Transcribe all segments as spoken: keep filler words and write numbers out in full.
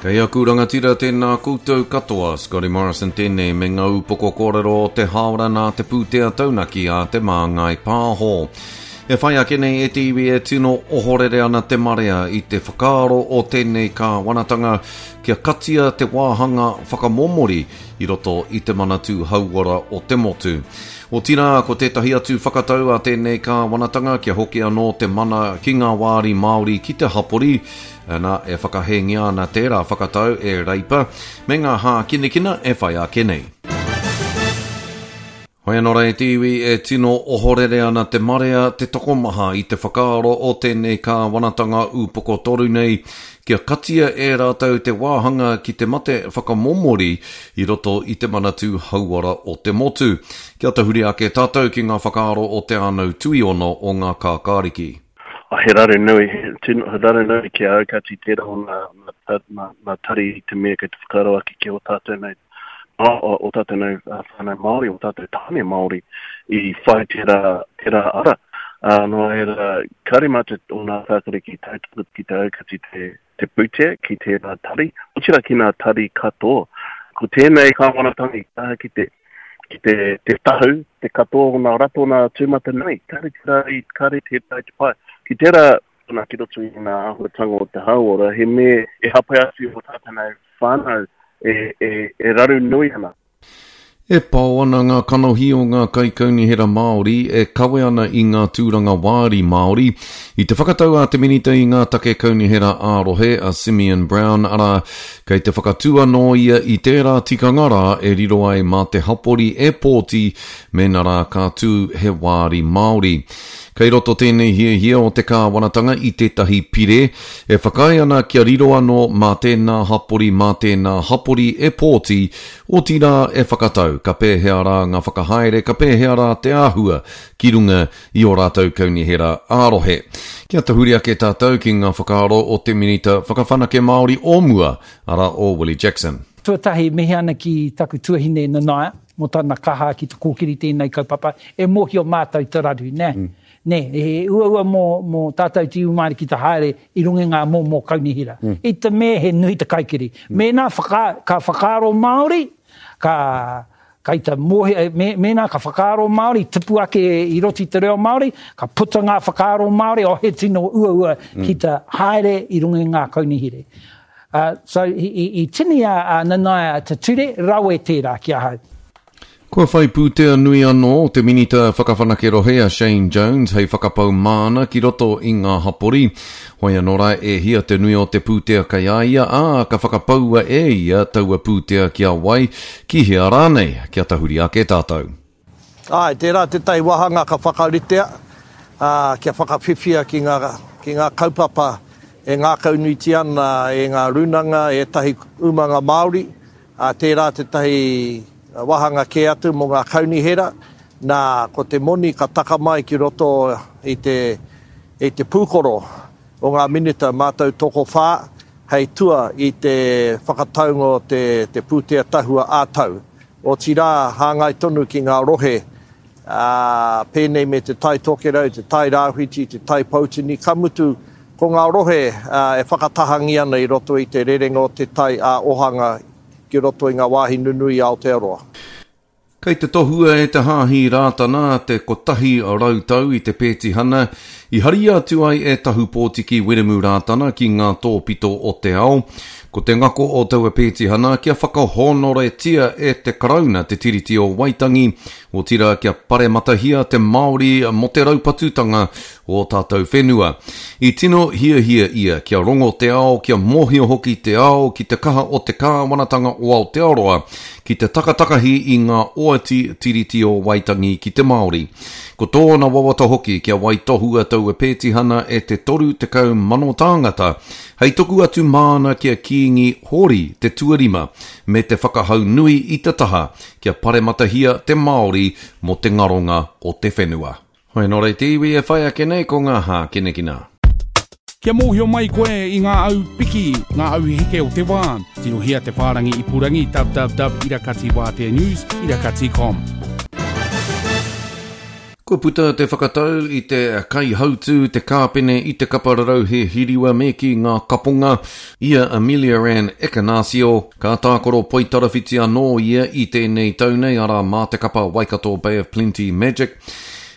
Kei aku rangatira tēnā koutou katoa, Scotty Morrison tēnei me ngā upoko kōrero o te hāora nā te pūtea taunaki a Te Māngai Pāho. E whai ake nei e te iwi e tino ohorere ana te marea i te whakaaro o tēnei kāwanatanga kia katia te wāhanga whakamomori i roto i te Manatū Hauora o te motu. Otirā, ko tētahi atu whakatau a tēnei kāwanatanga kia hoki anō te mana ki ngā wāri Māori ki te hapori, ana e whakahēngia ana tērā whakatau e Reipa me ngā hākinakina e whai ake nei. Hoi anō rā e te iwi e tino ohorere ana te marea te tokomaha i te whakaaro o tēnei kāwanatanga upoko toru nei kia katia e rātou te wāhanga ki te mate whakamomori i roto i te Manatū Hauora o te motu. Kia tahuri ake tātou ki ngā whakaaro o Te Ānau Tuiono o ngā Kākāriki. He raru nui, he tino, he raru nui ki a au kāti tērā o ngā, ngā, ngā, ngā tari i te mea kei te whakaaro ake ki o tātou nei, o, o tātou nei whānau Māori, o tātou tāne Māori i whai tērā, tērā ara. Uh, nō reira, kāre mātou o ngā Kākāriki tautoko ki te aukati te, te pūtea ki tērā tari, otirā ki ngā tari katoa. Ko tēnei kāwanatanga i kaha ki te, ki te, te tahu, te katoa o ngā ratonga tūmatanui, kāre tērā i, kāre tērā i te pai. Ki tērā, nā, ki roto i ngā āhuatanga o te hauora, he mea e hāpai atu i o tātou nei whānau e, e, e raru nui ana. E pao ana ngā kanohi o ngā kaikaunihera Māori e kawe ana i ngā tūranga wāri Māori i te whakatau a te Minita i ngā take kaunihera ā-rohe a Simeon Brown, arā, kei te whakatū anō ia i tērā tikanga rā e riro ai mā te hapori e pōti mēnā rā ka tū he wāri Māori. Kei roto tēnei hiahia o te kāwanatanga i tētahi pire e whakaae ana kia riro anō mā tēnā hapori mā tēnā hapori e pōti, otirā e whakatau ka pēhea rā ngā whakahaere, ka pēhea rā te āhua ki runga i ō rātou kaunihera ā-rohe. Kia tahuri ake tātou ki ngā whakaaro o te Minita Whakawhanake Māori o mua, arā o Willie Jackson. Tuatahi, mihi ana ki taku tuahine Nanaia, mō tana kaha ki te kōkiri tēnei kaupapa, e mōhio mātou te raru, nē. Mm. Nē, he uaua mō, mō tātou te iwi Māori ki te haere i runga i ngā momo kaunihera. Mm. I te mea he nui te kaikiri. Mm. Mēnā whaka, ka whakaaro Māori, ka, kai te mōhio, me, mēnā ka whakaaro Māori, tupu ake i roto i te reo Māori, ka puta ngā whakaaro Māori, oh, he tino uaua mm. ki te haere i runga i ngā kaunihera. Uh, so, i, i, i tini a, a Nanaia te ture, rawe tērā ki ahau. Kua whai pūtea nui anō te Minita Whakawhanake Rohe a Shane Jones hei whakapau māna ki roto i ngā hapori. Hoi anō rā e hia te nui o te pūtea kei a ia, ā, ka whakapaua e ia taua pūtea ki a wai, ki hea rānei, kia tahuri ake tātou. Āe, tērā tētahi wāhanga ka whakaritea, ā, kia whakawhiwhia ki ngā, ki ngā kaupapa e ngākaunuitia ana e ngā rūnanga, e ētahi umanga Māori, ā, tērā tētahi wāhanga kē atu mō ngā kaunihera, nā, ko te moni ka taka mai ki roto i te, i te pūkoro o ngā minita mātou tokowhā hei tua i te whakataunga o te, te pūtea tahua ā-tau. Otirā, hāngai tonu ki ngā rohe, ā, pēnei me Te Tai Tokerau, Te Tai Rāwhiti, Te Tai Poutini, ka mutu, ko ngā rohe e whakatahangi ana i roto i te rerenga o te tai ā-ohanga ki roto i ngā wāhi nunui i Aotearoa. Kei te tohua e te Hāhi Rātana te kotahi rau tau i te pētihana i haria atu ai e Tahu Pōtiki Wiremu Rātana ki ngā tōpito o te ao. Ko te ngako o taua pētihana kia whakahōnoretia e te Karauna te Tiriti o Waitangi, otirā kia parematahia te Māori mō te raupatutanga o tātou whenua. I tino hiahia ia kia rongo te ao, kia mōhio hoki te ao ki te kaha o te kāwanatanga o Aotearoa ki te takatakahi i ngā oati Tiriti o Waitangi ki te Māori. Ko tōna wawata hoki kia waitohua taua pētihana e te toru tekau mano tāngata, hei tuku atu māna ki a Kīngi Hōri te tuarima, me te whakahau nui i te taha kia parematahia te Māori mō te ngaronga o te whenua. Hoi nō reira te iwi e whai ake nei ko ngā hākinakina. Kia mōhio mai koe i ngā au piki, ngā au heke o te wā, tirohia te whārangi ipurangi www irakati wātea news irakati com. Kua puta te whakatau i te kaihautū, te kāpene i te kapa rarauhe hiriwa me ki ngā kaponga, i a Ameliaranne Ekenasio. Ka tākaro poitarawhiti anō ia i tēnei tau nei, arā mā te kapa Waikato Bay of Plenty Magic.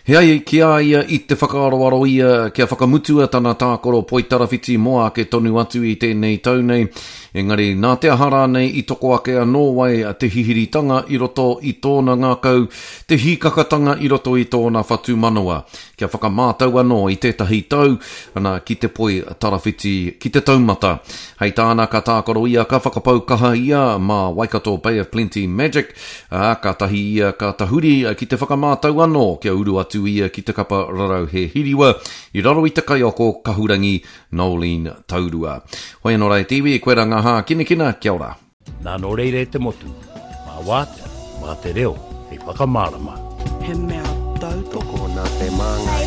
He ai ki a ia i te whakaaroaro ia kia whakamutua tana tākaro poitarawhiti mō ake tonu atu i tēnei tau nei, engari nā te aha rānei i toko ake anō ai te hihiritanga i roto i tōna ngākau, te hīkakatanga i roto i tōna whatumanawa, kia whakamātau anō i tētahi tau, ana ki te poi tarawhiti ki te taumata. Hei tāna ka tākaro ia ka whakapau kaha ia mā Waikato Bay of Plenty Magic, ā, kātahi ia ka tahuri ki te whakamātau anō kia uru atu ia ki te kapa rarauhe hiriwa i raro i te kaiako kahurangi Noeline Taurua. Hoi anō rā e te iwi, koe rā ngā hākinakina, kia ora. Nā nō reira e te motu, mā wātea, mā te reo, hei whakamārama. He mea tautoko. Tokona te māngai.